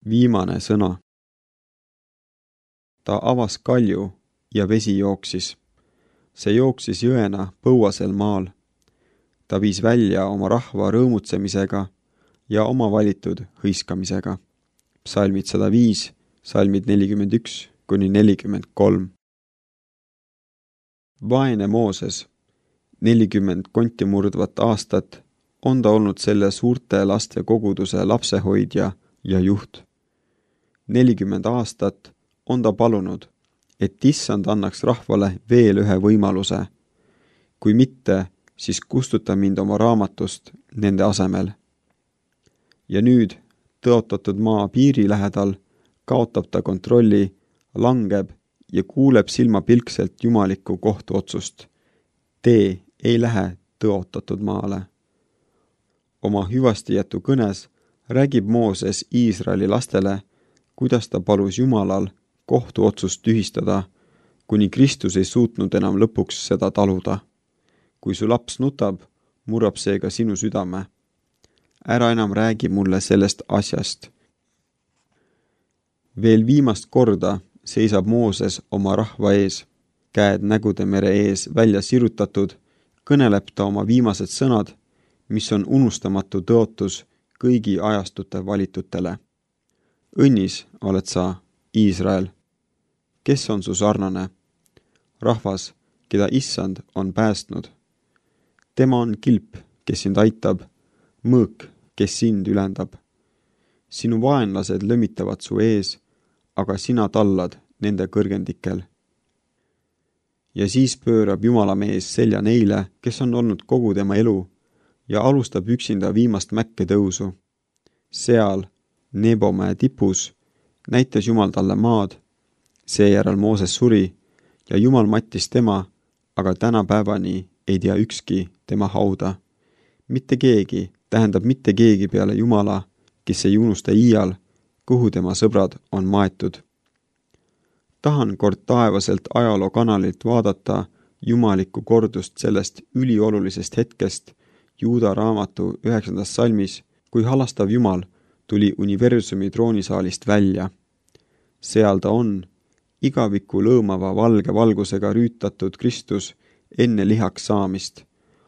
Viimane sõna. Ta avas kalju ja vesi jooksis. See jooksis jõena põuasel maal. Ta viis välja oma rahva rõõmutsemisega ja oma valitud hõiskamisega. Psalmid 105, psalmid 41–43. Vaene Mooses, 40 konti murdvat aastat, on ta olnud selle suurte laste koguduse lapsehoidja ja juht. 40 aastat on ta palunud, et Issand annaks rahvale veel ühe võimaluse. Kui mitte, siis kustuta mind oma raamatust nende asemel. Ja nüüd, tõotatud maa piiri lähedal, kaotab ta kontrolli, langeb ja kuuleb silmapilkselt jumalikku kohtuotsust. Tee ei lähe tõotatud maale. Oma hüvastijätu kõnes räägib Mooses Iisraeli lastele, kuidas ta palus Jumalal kohtuotsust tühistada, kuni Kristus ei suutnud enam lõpuks seda taluda. Kui su laps nutab, murrab see ka sinu südame. Ära enam räägi mulle sellest asjast. Veel viimast korda seisab Mooses oma rahva ees, käed nägude mere ees välja sirutatud, kõneleb ta oma viimased sõnad, mis on unustamatu tõotus kõigi ajastute valitutele. Õnnis oled sa, Iisrael, kes on su sarnane, rahvas, keda Issand on päästnud. Tema on kilp, kes sind aitab, mõõk, kes sind ülendab. Sinu vaenlased lömitavad su ees, aga sina tallad nende kõrgendikel. Ja siis pöörab Jumala mees selja neile, kes on olnud kogu tema elu, ja alustab üksinda viimast mäkke tõusu. Seal, Nebomäe tipus, näitas Jumal talle maad, seejärel Mooses suri ja Jumal mattis tema, aga tänapäevani ei tea ükski tema hauda. Mitte keegi, tähendab mitte keegi peale Jumala, kes ei unusta iial, kuhu tema sõbrad on maetud. Tahan kord taevaselt ajaloo kanalilt vaadata jumalikku kordust sellest üliolulisest hetkest Juuda raamatu 9. salmis, kui halastav Jumal tuli universumi troonisaalist välja. Seal ta on, igaviku lõõmava valge valgusega rüütatud Kristus enne lihaks saamist,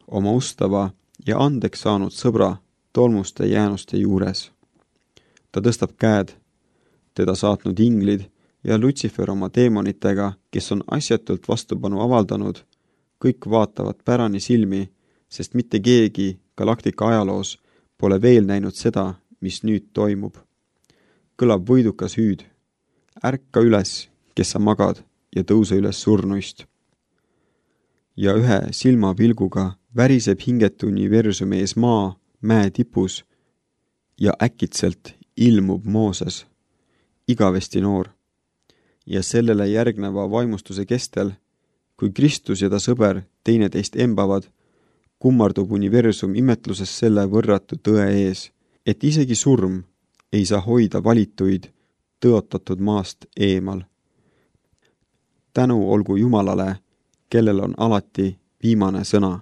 oma ustava ja andeks saanud sõbra tolmuste jäänuste juures. Ta tõstab käed, teda saatnud inglid ja Lutsifer oma teemonitega, kes on asjatult vastupanu avaldanud, kõik vaatavad pärani silmi, sest mitte keegi galaktika ajaloos pole veel näinud seda, mis nüüd toimub. Kõlab võidukas hüüd. Ärka üles, kes sa magad, ja tõuse üles surnuist. Ja ühe silmapilguga väriseb hingetu universumi ees maa, mäe tipus, ja äkitselt ilmub Mooses, igavesti noor. Ja sellele järgneva vaimustuse kestel, kui Kristus ja ta sõber teineteist embavad, kummardub universum imetluses selle võrratu tõe ees, et isegi surm ei saa hoida valituid tõotatud maast eemal. Tänu olgu Jumalale, kellel on alati viimane sõna.